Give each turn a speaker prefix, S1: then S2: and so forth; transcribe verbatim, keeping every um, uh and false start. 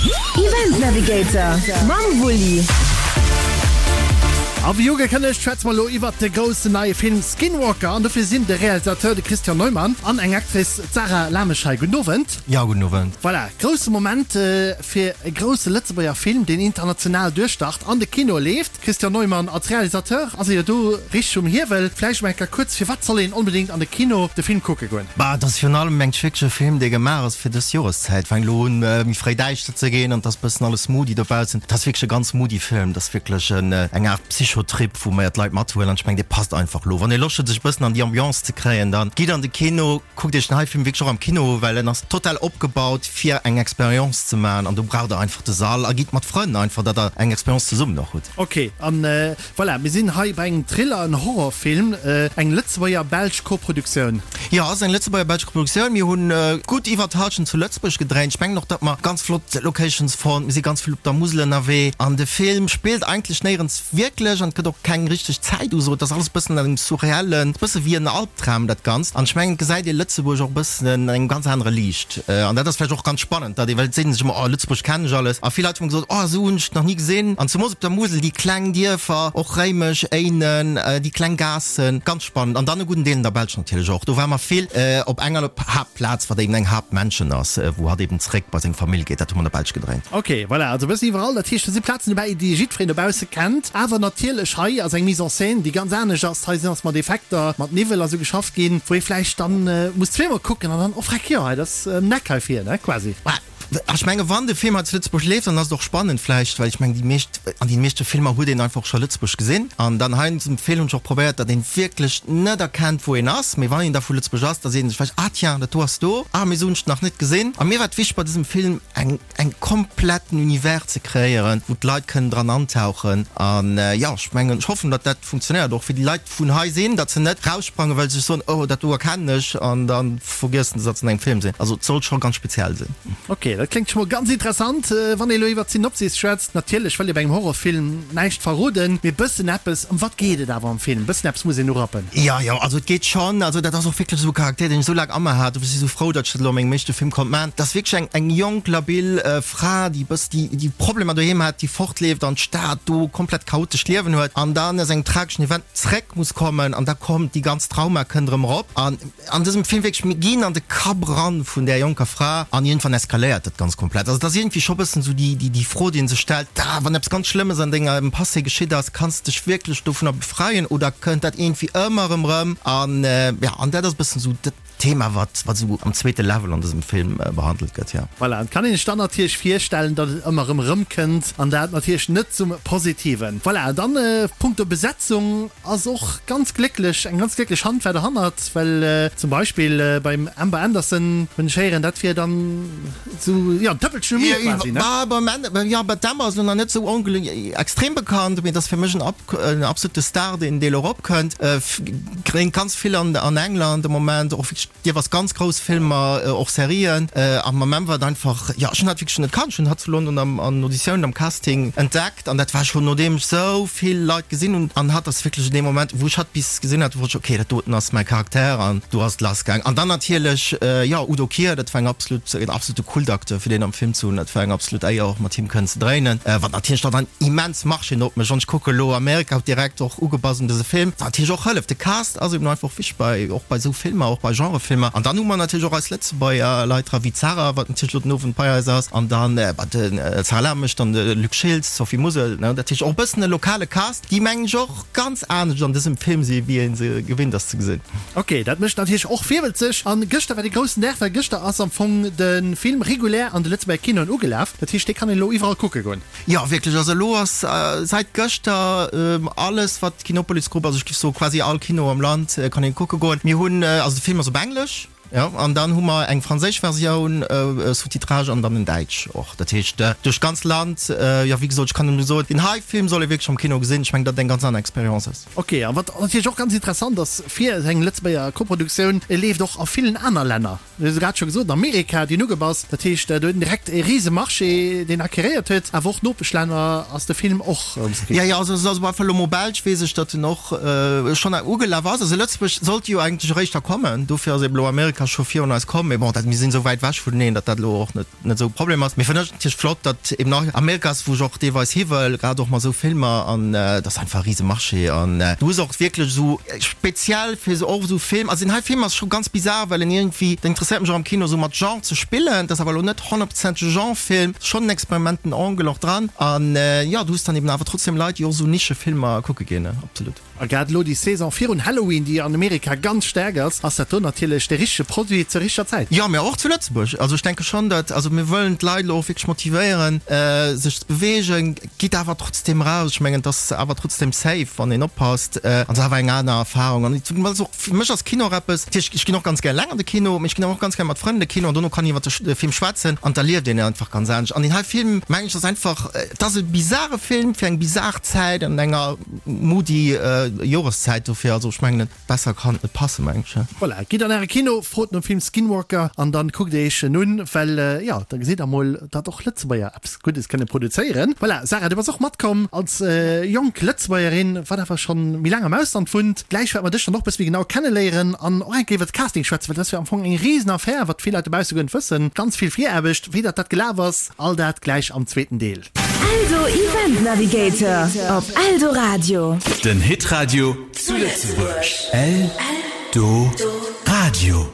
S1: Event Navigator mam Wulli.
S2: A wéi ugekënnegt schwätze mer elo iwwert de groussen neie Film Skinwalker an dofir sinn de Realisateur, de Christian Neumann, an eng Actrice, d'Sarah Lamesch hei. Gudden Owend.
S3: Jo, gudden Owend.
S2: Voilà, grousse Moment fir e grousse Lëtzebuerger Film, deen international duerchstart, an de Kinoe leeft. Christian Neumann, als Realisateur ass ee jo do richteg um Hiewel. Vläicht emol eng Kéier kuerz, firwat soll een onbedéngt an de Kino de Film kucke goen?
S3: Bah, et ass virun allem mengt ech wierklech e Film, dee gemaach ass fir dës Joreszäit. Fänkt elo un méi fréi däischter ze ginn an et ass bëssen alles moody dobaussen. Et ass wierklech e ganz moody Film. Et ass wierklech en eng Aart Psychotrip, wou mer d'Leit mathuelen an ech mengen, dee passt einfach elo. Wann ee Loscht huet, sech e bëssen an déi Ambiance ze kréien, dann gitt an de Kino, kuckt iech den hei Film wierklech och am Kino u, well en ass total opgebaut fir eng Expérience ze maachen an do braucht der einfach de Sall a gitt mat Frënn einfach, datt der eng Expérience zesummen och hutt.
S2: Ok, an voilà, mir sinn hei bei engem Thriller, en Horrorfilm, eng Lëtzebuerger-belsch Koproduktioun.
S3: Jo, ass eng Lëtzebuerger-belsch Koproduktioun. Mir hunn gutt iwwert d'Hallschent zu Lëtzebuerg gedréint. Ech mengen och, datt mer ganz flott Locations fonnt. Mir si ganz vill op der Musel ënnerwee an de Film spillt eigentlech néierens wierklech an et gëtt och keng richteg Zäituso. Et ass alles e bëssen an engem surreellen, e bësse wéi en Albdram dat Ganzt. An ech mengen, et gesäit ee Lëtzebuerg och e bëssen an engem ganz anere Liicht. An dat ass vläicht och ganz spannend, datt ee, well et seet een sech ëmmer, oh Lëtzebuerg kennen ech alles. A vill Leit hu mer gesot, oh esou hunn ech et nach ni gesinn. An zemoos op der Musel, déi kleng Dierfer, och Réimech, Éinen, déi kleng Gaassen, ganz spannend. An dann e gudden Deel an der Belsch natierlech och. Do ware mer vill op enger Haaptplaz, wat eben eng Haaptmansion ass, wou hatt eben zréck bei seng Famill geet. Dat hu mer an der Belsch gedréint.
S2: Ok, voilà, also e bëssen iwwerall. Dat heescht, do si Plazen dobäi, déi jiddwereen dobausse kennt. Awer natierlech, hei ass eng Mise en scène, déi ganz anescht ass. Hei sinn ass mat Effekter, mat Niwwel a sou geschafft ginn, wou ee vläicht dann muss zweemol kucken an dann, oh freck, jo, hei, dat ass ëm d'Eck hei vir, ne, quasi.
S3: Mä ech menge wann de Film hei zu Lëtzebuerg leeft, dann ass et och spannend vläicht, well ech mengen, déi meescht, an deene meeschte Filmer huet een einfach och scho Lëtzebuerg gesinn. An dann hei an dësem Film hunn ech och probéiert, datt een wierklech net erkennt, wou een ass, mee wann een da vu Lëtzebuerg ass, da seet een sech vläicht, ah tiens, dat do ass do, ah mee esou hunn ech et nach net gesinn. A mir war et wichteg bei dësem Film eng eng kompletten Univers ze kreéieren, wou d'Leit kënnen dran antauchen. An jo, ech mengen, ech hoffen, datt dat funktionéiert och fir déi Leit vun hei sinn, datt se net raussprangen, well se sech soen, oh dat do erkennen ech, an da vergiessen se, datt se an engem Film sinn. Also et sollt scho ganz speziell sinn.
S2: Ok, dat kléngt scho mol ganz interessant. Wann ee elo iwwer d'Synopsis schwätzt, natierlech wëll ee bei engem Horrorfilm näischt verroden, mee bëssen eppes, ëm wat geet et awer am Film? Bëssen eppes muss een urappen.
S3: Jo, jo, also et geet schonn, also dat ass och wierklech esou e Charakter, deen ech esou laang a mer hat, dofir si ech esou frou, datt ech dat elo a mengem éischte Film konnt maachen. Dat ass wierklech eng eng jonk, labil Fra, déi bëss, déi déi Problemer doheem hat, déi fortleeft an d'Stad, do komplett chaotescht Liewen huet an dann aus engem trageschen Event zréck muss kommen an da kommt déi ganz Trauma kënnt erëm erop an an dësem Film wierklech, mir ginn an de Kapp eran vun där jonker Fra an iergendwann eskaléiert dat ganz komplett. Also et ass iergendwéi scho bëssen esou déi déi déi Fro, déi een sech stellt, ah wann eppes ganz Schlëmmes an dengem Passé geschitt ass, kanns de dech wierklech dovunner befreien oder kënnt dat iergendwéi ëmmer erëm erëm an ja an dat ass bëssen esou dat Thema wat wat esou am zweete Level an dësem Film behandelt gëtt, jo.
S2: Voilà, et kann een sech dann natierlech virstellen, datt et ëmmer erëm erëmkënnt an dat natierlech net zum Positiven. Voilà, dann punkto Besetzung ass och ganz glécklech, eng ganz glécklech Hand war derhannert, well zum Beispill beim Amber Anderson hunn ech héieren, dat wier dann esou, jo, en Tëppelchen um i quasi, ne?
S3: Beim Amber, jo, bei d'Amber ass elo nach net esou extrem bekannt, mee et ass fir mech en absolute Star, deen dee elo eropkënnt. Dréint ganz vill an an England de Moment, och wierklech jeeweils ganz grouss Filmer, och Serien. A mam Amber war et einfach, jo, ech hunn hat wierklech net kannt. Ech hunn hatt zu London am an Auditiounen, am Casting entdeckt an dat war schonn nodeem ech sou vill Leit gesinn hunn. An hatt ass wierklech an deem Moment, wou ech hatt bis gesinn hat, wosst ech, okay, dat doten ass mäi Charakter an do ass et lass gaang. An dann natierlech, jo, Udo Kier, dat war eng absolut, en absolute Kultacteur fir deen am Film ze hunn. Dat war eng absolut Éier och mat him kënnen ze dréinen, wat natierlech dann en immens Marché op mécht. Wann ech kucke lo Amerika huet direkt och ugebass un dëse Film, wat natierlech och hëlleft. De Cast ass eben einfach wichteg bei, och bei esou Filmer, och bei Genrefilmer. An dann hu mer natierlech och eis Lëtzebuerger Leit dra wéi d'Sarah, wat natierlech elo den Owend bei eis ass, an dann bah de Sarah Lamesch, dann de Luc Schiltz, d'Sophie Musel, ne. Dat heescht och e bëssen e lokale Cast, déi mengen ech och ganz anescht an dësem Film si wéi ee se gewinnt ass ze gesinn.
S2: Ok, dat mécht natierlech och virwëlzeg. An gëschter war dee groussen Dag, well gëschter ass am Fong de Film regulär an de Lëtzebuerger Kinoen ugelaf. Dat heescht, dee kann een elo iwwerall kucke goen.
S3: Jo, wierklech. Also elo ass säit gëschter alles wat d'Kinopolis Group, also ech géif soe quasi all Kino am Land kann een kucke goen. Mir hunn, also de Film ass op Englesch, jo, an dann hu mer eng franséisch Versioun, Sous-titrage, an dann en däitsch och. Dat heescht duerch d'ganz Land. Jo, wéi gesot, ech kann nëmme soen, deen hei Film soll ee wierklech am Kino gesinn. Ech mengen, datt et eng ganz aner Expérience ass.
S2: Ok, a wat natierlech och ganz interessant ass fir eng Lëtzebuerger Koproduktioun, e leeft och a villen aner Länner. Du hues et grad scho gesot, Amerika, déi hunn ugebass. Dat heescht, do huet en direkt e rise Marché, deen acquéréiert huet. Awer och Nopeschlänner ass de Film och um
S3: Screen. Jo, jo, also also op alle Fall elo mol Belsch weess ech, datt en och schonn ugelaf ass. Also Lëtzebuerg sollt jo eigentlech eréischt da kommen, dofir ass eben elo Amerika Amerika scho virun eis komm, mee bon, dat, mir sinn esou wäit ewech vuneneen, datt dat elo och net, net esou e Problem ass. Mee fannen ech natierlech flott, datt eben och Amerika ass, wou ech och deelweis hi wëll, grad och mat esou Filmer an dat ass einfach e rise Marché an du hues och wierklech esou speziell fir esou och esou Film, also deen hei Film ass scho ganz bizar, well en iergendwéi, dat interesséiert mech och am Kino, esou mat Genre ze spillen, dat ass awer elo net honnertprozenteg e Genre-Film, schonn en Experimenten Angle och dran an jo, du hues dann eben awer trotzdem Leit, déi och esou Nischefilmer kucke ginn, absolut.
S2: A grad elo déi Saison virun Halloween, déi an Amerika ganz staark ass, ass dat do natierlech de richtege Produit zur richteger Zäit.
S3: Jo, mä och zu Lëtzebuerg. Also ech denke schonn, datt, also mir wëllen d'Leit elo och wierklech motivéieren, sech ze beweegen. Gitt awer trotzdeem eraus. Ech mengen, et ass awer trotzdeem safe, wann een oppasst. An et ass awer eng aner Erfarung. An et ass och, fir mech ass Kino och eppes, natierlech, ech ginn och ganz gär eleng an de Kino, mä ech ginn awer och ganz gär mat Frënn an de Kino an dono kann een iwwer de Film schwätzen an d'erlieft een einfach ganz anescht. An deen hei Film, mengen ech, ass einfach, et ass e bizare Film fir eng bizar Zäit an enger moody Joreszäit dofir, also ech mengen besser kann et net passen, mengen ech.
S2: Voilà, gitt an äre Kino, frot nom Film Skinwalker an dann kuckt dir iech en un, well jo, da gesitt der mol, datt och Lëtzebuerger eppes Guddes kënne produzéieren. Voilà, Sarah, du bass och matkomm als jonk Lëtzebuergerin, wat awer schonn méi laang am Ausland wunnt. Gläich wäerte mer dech dann och e bësse méi genau kenneléieren an och eng Kéier iwwer de Casting schwätzen, well dat ass jo am Fong eng Risenaffär, wat vill Leit dobausse guer net wëssen. Ganz vill Viraarbecht, wéi datt dat gelaf ass, all dat gläich am zweeten Deel.
S1: Eldo Event Navigator op Eldoradio.
S4: Den Hitradio zu Lëtzebuerg. Eldoradio.